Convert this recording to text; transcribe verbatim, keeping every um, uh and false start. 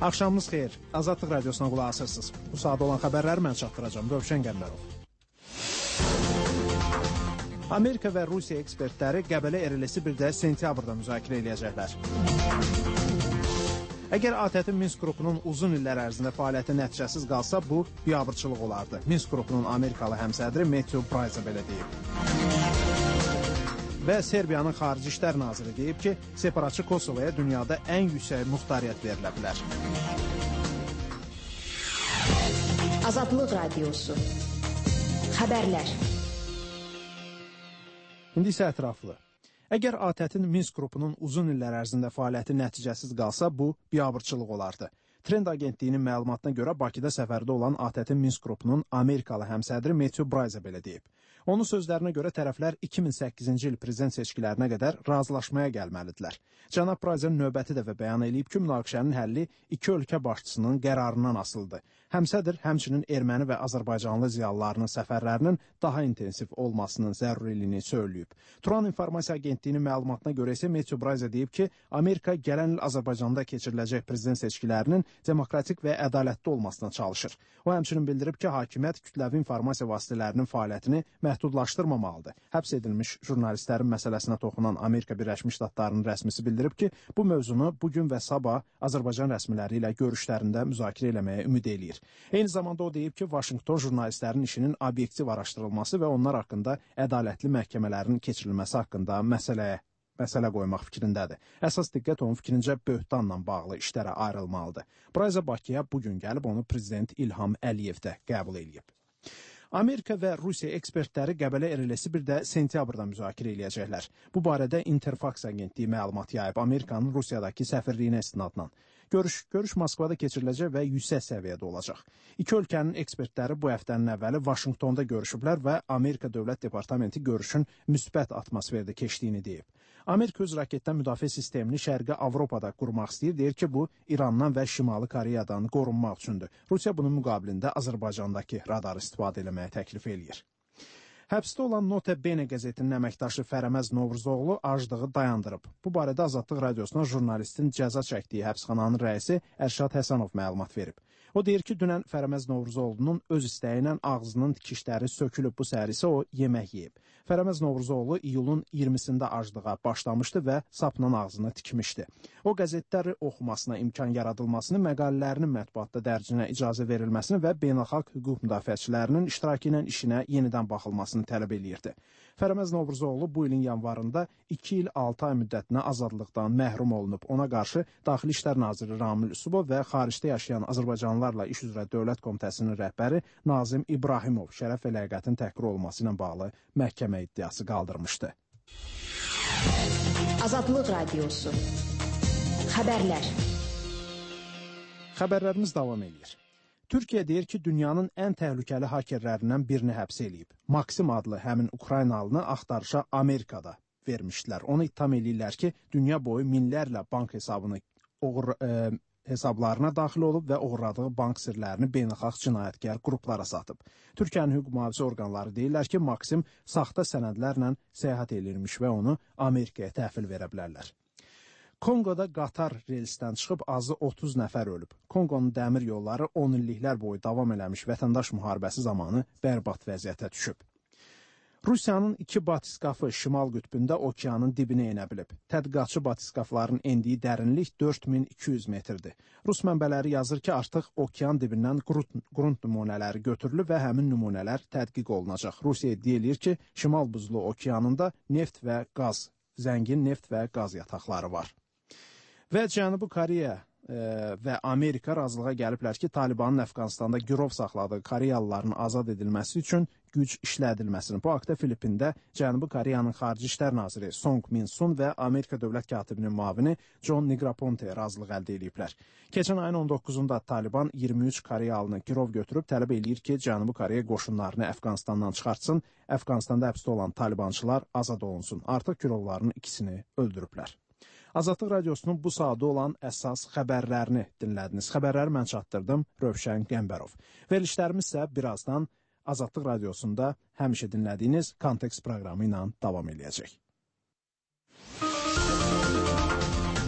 Axşamınız xeyir. Azadlıq radiosuna qulaq asırsınız. Bu saat olan xəbərləri mən çatdıracağım. Rövşən Qəmbərov. Amerika və Rusiya ekspertləri Qəbələ Erelesi bir də sentyabrda müzakirə edəcəklər. Əgər ATƏT-in Minsk qrupunun uzun illər ərzində fəaliyyəti nəticəsiz qalsa, bu biabırçılıq olardı. Minsk qrupunun Amerikalı həmsədri Matthew Bryce belə deyib. Və Serbiyanın Xarici İşlər Naziri deyib ki, separatçı Kosovaya dünyada ən yüksək muxtariyyət verilə bilər. Azadlıq Radiosu. Xəbərlər. İndi isə ətraflı. Əgər ATƏT-in Minsk qrupunun uzun illər ərzində fəaliyyəti nəticəsiz qalsa, bu biabırçılıq olardı. Trend agentliyinin məlumatına görə Bakıda səfərdə olan ATƏT-in Minsk qrupunun Amerikalı həmsədri Matthew Bryce belə deyib. Onun sözlərinə görə tərəflər iki min səkkizinci il prezident seçkilərinə qədər razılaşmaya gəlməlidirlər. Cənab Bryce növbəti dəfə bəyan edib ki, münaqişənin həlli iki ölkə başçısının qərarından asılıdır. Həmsədr həmçinin erməni və azərbaycanlı ziyalılarının səfərlərinin daha intensiv olmasının zəruriliyini söyləyib. Turan İnformasiya Agentliyinin məlumatına görə isə Matthew Bryce deyib ki, Amerika gələn il Azərbaycanda keçiriləcək prezident seçkilərinin demokratik və ədalətli olmasına çalışır. O həmçinin bildirib ki, hakimiyyət kütləvi informasiya vasitələrinin fəaliyyətini məhdudlaşdırmamalıdır. Həbs edilmiş jurnalistlərin məsələsinə toxunan Amerika Birləşmiş Ştatlarının rəsmisi bildirib ki, bu mövzunu bugün və sabah Azərbaycan rəsmiləri ilə görüşlərində müzakirə eləməyə ümid eləyir. Eyni zamanda o deyib ki, Vaşinqton jurnalistlərin işinin obyektiv araşdırılması və onlar haqqında ədalətli məhkəmələrin keçirilməsi haqqında məsələyə məsələ qoymaq fikrindədir. Əsas diqqət onun fikrincə böhtanla bağlı işlərə ayrılmalıdır. Bryce Bakıya bugün gəlib onu prezident İlham Əliyev də qəbul edib. Amerika və Rusiya ekspertləri Qəbələ Erelesi bir də sentyabrda müzakirə edəcəklər. Bu barədə Interfax agentliyi məlumat yayıb Amerikanın Rusiyadakı səfirliyinə istinadla. Görüş, görüş Moskvada keçiriləcək və yüksək səviyyədə olacaq. İki ölkənin ekspertləri bu həftənin əvvəli Vaşinqtonda görüşüblər və Amerika Dövlət Departamenti görüşün müsbət atmosferdə keçdiyini deyib. Amerika öz raketdən müdafiə sistemini Şərqi Avropada qurmaq istəyir, deyir ki, bu İrandan və Şimali Koreyadan qorunmaq üçündür. Rusiya bunun müqabilində Azərbaycandakı radarı istifadə eləməyə təklif eləyir. Həbsdə olan Nota Bene qəzetinin əməkdaşı Fərəməz Novruzoğlu aclığı dayandırıb. Bu barədə Azadlıq Radiosuna jurnalistin cəza çəkdiyi həbsxananın rəisi Ərşad Həsənov məlumat verib. O deyir ki, dünən Fərəməz Novruzoğlu'nun öz istəyi ilə ağzının tikişləri sökülüb, bu səhər isə o yemək yeyib. Fərəməz Novruzoğlu iyulun iyirmisində aclığa başlamışdı və sapla ağzını tikmişdi. O qəzetləri oxumasına imkan yaradılmasını, məqalələrinin mətbuatda dərcinə icazə verilməsini və beynəlxalq hüquq müdafiəçilərinin iştirakı ilə işinə yenidən baxılmasını tələb eləyirdi. Fərəməz Novruzoğlu bu ilin yanvarında iki il altı ay müddətinə azadlıqdan məhrum olunub. Ona qarşı Daxili İşlər Naziri Ramil Üsubov və xaricdə yaşayan Azərbaycanlılarla İş üzrə Dövlət Komitəsinin rəhbəri Nazim İbrahimov şərəf və ləyaqətin təhqir olunması ilə bağlı məhkəmə iddiası qaldırmışdı. Azadlıq Radiosu. Xəbərlər. Xəbərlərimiz davam edir. Türkiyə deyir ki, dünyanın ən təhlükəli hakerlərindən birini həbs eləyib. Maksim adlı həmin Ukraynalını axtarışa Amerikada vermişdilər. Onu ittiham eləyirlər ki, dünya boyu minlərlə bank hesabını oğur, e, hesablarına daxil olub və oğurladığı bank sirlərini beynəlxalq cinayətkar qruplara satıb. Türkiyənin hüquq mühafizə orqanları deyirlər ki, Maksim saxta sənədlərlə səyahət edilmiş və onu Amerikaya təhvil verə bilərlər. Kongoda qatar relsdən çıxıb azı otuz nəfər ölüb. Kongonun dəmir yolları on illiklər boyu davam eləmiş vətəndaş müharibəsi zamanı bərbad vəziyyətə düşüb. Rusiyanın iki batiskafı Şimal qütbündə okeanın dibinə enə bilib. Tədqiqatçı batiskafların endiyi dərinlik dörd min iki yüz metrdir. Rus mənbələri yazır ki, artıq okean dibindən qrunt nümunələri götürülüb və həmin nümunələr tədqiq olunacaq. Rusiya iddia edir ki, Şimal buzlu okeanında neft və qaz, zəngin neft və qaz yataqları var. Və Cənubi Koreya e, və Amerika razılığa gəliblər ki, Talibanın Əfqanistanda girov saxladığı Koreyalıların azad edilməsi üçün güc işlədilməsini. Bu haqda Filippində Cənubi Koreyanın Xarici İşlər Naziri Song Min-sun və Amerika Dövlət Katibinin müavini John Negroponte razılıq əldə ediblər. Keçən ayın on doqquzunda Taliban iyirmi üç Koreyalını girov götürüb tələb eləyir ki, Cənubi Koreya qoşunlarını Əfqanistandan çıxartsın, Əfqanistanda həbsdə olan talibançılar azad olunsun. Artıq girovların ikisini öldürüblər. Azadlıq Radiosunun bu saatda olan əsas xəbərlərini dinlədiniz. Xəbərləri mən çatdırdım, Rövşən Qəmbərov. Verilişlərimiz isə birazdan Azadlıq Radiosunda həmişə dinlədiyiniz Kontekst proqramı ilə davam edəcək.